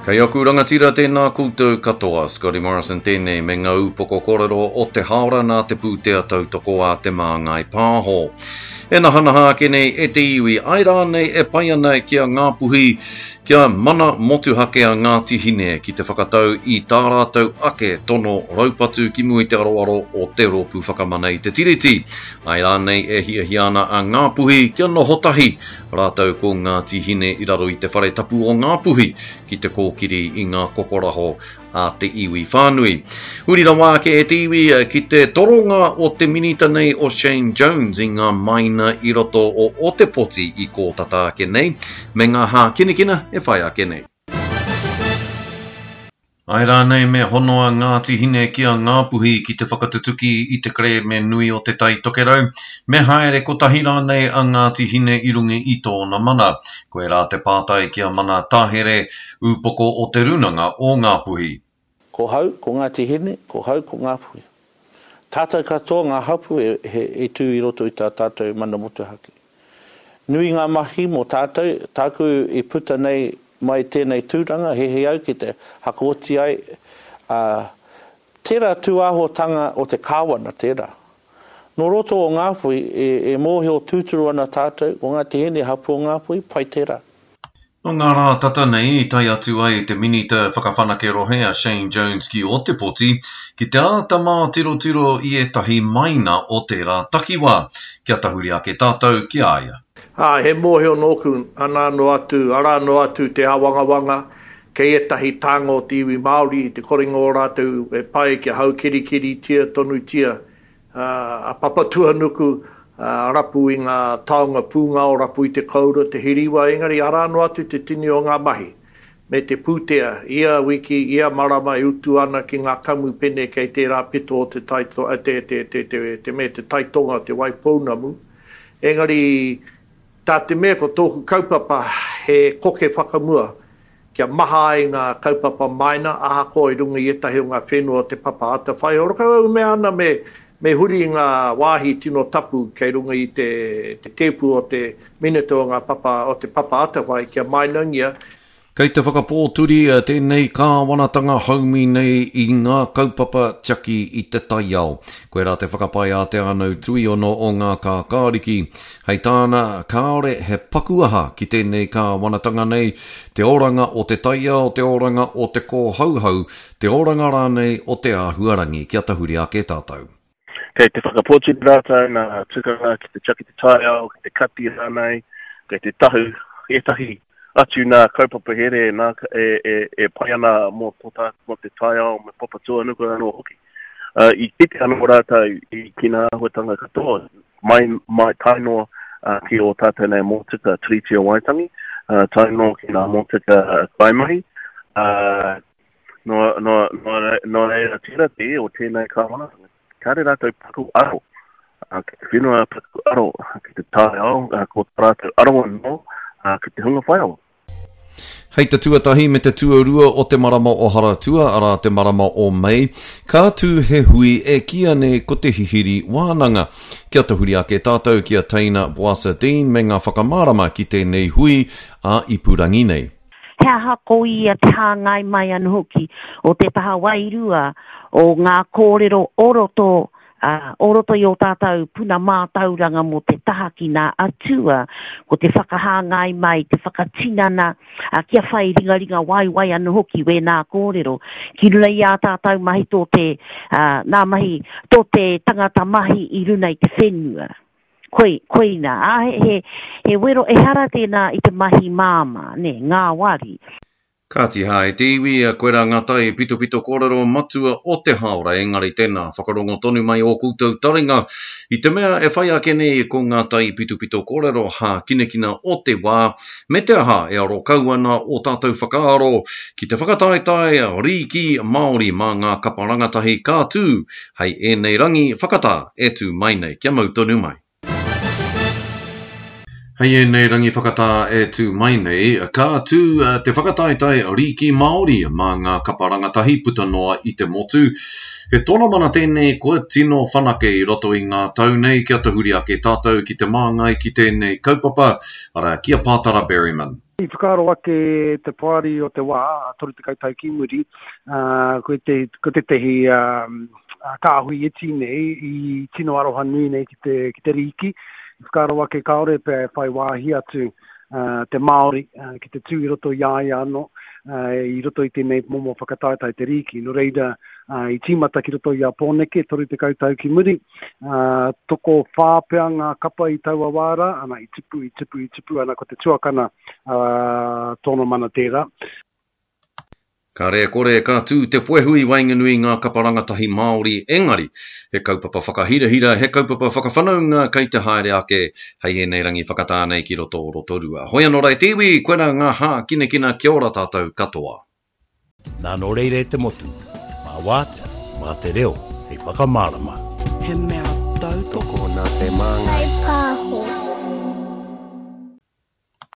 Kei aku rangatira tēnā koutou katoa, Scotty Morrison tēnei me ngā ūpoko kōrero o te hāora nā te pūtea tautoko a Te Māngai Pāho. E nahanaha ake nei e te iwi, āe rānei e pai ana ki a Ngāpuhi kia mana motuhake a Ngāti Hine ki te whakatau i tā rātou ake tono raupatu ki mua i te aroaro o te Rōpū Whakamana i te Tiriti, āe rānei e hiahia ana a Ngāpuhi kia noho tahi Rātou ko Ngāti Hine i raro i te whare tapu o Ngāpuhi ki te kōkiri i ngā kokoraho a te iwi whānui. Huri rawa ake e te iwi ki te toronga o te minita nei o Shane Jones i ngā maina i roto o Ōtepoti i kō tata ake nei, me ngā hākinakina e whai ake nei. Āe rānei me hono a Ngāti Hine ki a Ngāpuhi ki te whakatutuki i te kerēme nui o Te Tai Tokerau, me haere kotahi rānei a Ngāti Hine i runga i tōna mana? Koirā te pātai ki a Mana Tahere, ūpoko o Te Rūnanga o Ngāpuhi. Ko hau, ko Ngāti Hine, ko hau, ko Ngāpuhi. Tātou katoa ngā hapū e tū i roto i tā tātou mana motuhake. Nui ngā mahi mō tātou, tāku i puta nei mai tēnei tūranga, hehe au ki te hakaoti ai, ā, tērā tūāhuatanga o te kāwana tērā. Nō roto o Ngāpuhi, e, e mōhio tūturu ana tātou, ko Ngāti Hine hapū o Ngāpuhi, pai tērā. Nō ngā rā tata nei i tae atu ai te Minita Whakawhanake Rohe a Shane Jones ki Ōtepoti ki te āta mātirotiro i ētahi maina o tērā takiwā. Kia tahuri ake tātou ki a ia. Ā, he mōhio nōku, anā noa atu, arā noa atu te āwangawanga kei ētahi tānga o te iwi Māori i te korenga o rātou e pai kia haukirikiritia tonutia a Papatuanuku, rapu i ngā taonga pūngao, rapu i te koura, te hiriwa, engari arā noa atu te tini o ngā mahi me te pūtea, ia wiki, ia marama e utu ana ki ngā kamupene kei tērā pito o te tai, te, te, te, te, te me te tai tonga, Te Waipounamu. Engari, tā te mea ko tōku kaupapa he koke whakamua, kia maha ai ngā kaupapa maina, ahakoa i runga i ētahi o ngā whenua o Te Papa Atawhai. Horokau au mea ana me, me huri i ngā wāhi tino tapu kei runga i te, te tēpu o te Minita o ngā papa, o Te Papa Atawhai kia mainangia. Kei te whakapōturi tēnei kāwanatanga haumi nei i ngā kaupapa tiaki i te taiao. Koirā te whakapae a Te Ānau Tuiono o Ngā Kākāriki. Hei tāna, kāore he paku aha ki tēnei kāwanatanga nei, te oranga o te taiao, te oranga o te kōhauhau, te oranga rānei o te āhuarangi. Kia tahuri ake tātou. Kei te whakapōturi rātou nā tukanga ki te tiaki te taiao, ki te kati rānei, kei te tahu ētahi atu nā kaupapa here nā, e, e, e pai ana mō, tō tā, mō te taiao me Papatūānuku anō hoki. Uh, I kite anō rātou i ki ngā āhuatanga katoa, mai, mai tae noa uh, ki ō tātou nei mōtika Tiriti o Waitangi, uh, tae noa ki ngā mōtika kaimahi, uh, nō, nō, nō, nō reira tērā te o tēnei kāwanatanga. Kāre rātou paku aro uh, ki te whenua, paku aro ki te taiao, uh, ko tā rātou aro anō uh, ki te hunga whaiawa. Hei te tuatahi me te tuarua o te marama o Haratua, arā te marama o Mei, ka tū he hui e kīia nei ko te Hihiri Wānanga. Kia tahuri ake tātou ki a Teina Boasa Dean me ngā whakamārama ki tēnei hui ā-ipurangi nei. He aha ko ia te hāngai mai anō hoki o te taha wairua o ngā kōrero o roto ā, o roto i ō tātou puna mātauranga mō te taha ki nā atua, ko te whakahāngai mai, te whakatinana, ā, kia whai ringaringa waiwai anō hoki wēnā kōrero ki runa i ā tātou mahi tō te, ā, nā mahi tō te tangata mahi i runa i te whenua. Koi, koina, ā, he, he, he wero, ehara tēnā i te mahi māmā, nē, ngāwari. Kāti hā e te iwi, koirā ngā tai pitopito kōrero matua o te hāora engari tēnā, whakarongo tonu mai ō koutou taringa i te mea e whai ake nei ko ngā tai pitopito kōrero hākinakina o te wā, me te aha e aro kau ana ō tātou whakaaro ki te whakataetae rīki Māori mā ngā kapa rangatahi ka tū hei ēnei rangi whakatā e tū mai nei. Kia mau tonu mai. Hei ēnei rangi whakatā e tū mai nei, ka tū te whakataetae Rīki Māori mā ngā kapa rangatahi puta noa i te motu. He tonomana tēnei kua tino whanake i roto i ngā tau nei kia tahuri ake tātou ki te māngai ki tēnei kaupapa, arā, ki a Pātara Berryman. I whakaaro ake te poari o te wā, 30 tau ki muri, ko tētehi kāhui iti nei i tino aroha nui nei ki te, ki te rīki. I whakaaro ake kāore pea e whai wāhi atu te Māori ki te tū i roto i a ia anō, i roto i tēnei momo whakataetae te rīki. Nō reira, i tīmata ki roto i a Pōneke, 30 tau ki muri, tokowhā pea ngā kapa i taua wā rā, ana, i tupu, i tupu, i tupu, ana, ko te tuakana tōna mana tērā. Kāre e kore ka tū te puehu i waenganui i ngā kapa rangatahi Māori engari, he kaupapa whakahirahira, he kaupapa whakawhanaunga kei te haere ake hei ēnei rangi whakatā nei ki roto o Rotorua. Hoi anō rā e te iwi, koirā ngā hākinakina kia ora tātou katoa. Nā nō reira e te motu, mā wātea, mā te reo hei whakamārama. He mea tautoko. Nā Te Māngai. Pāho.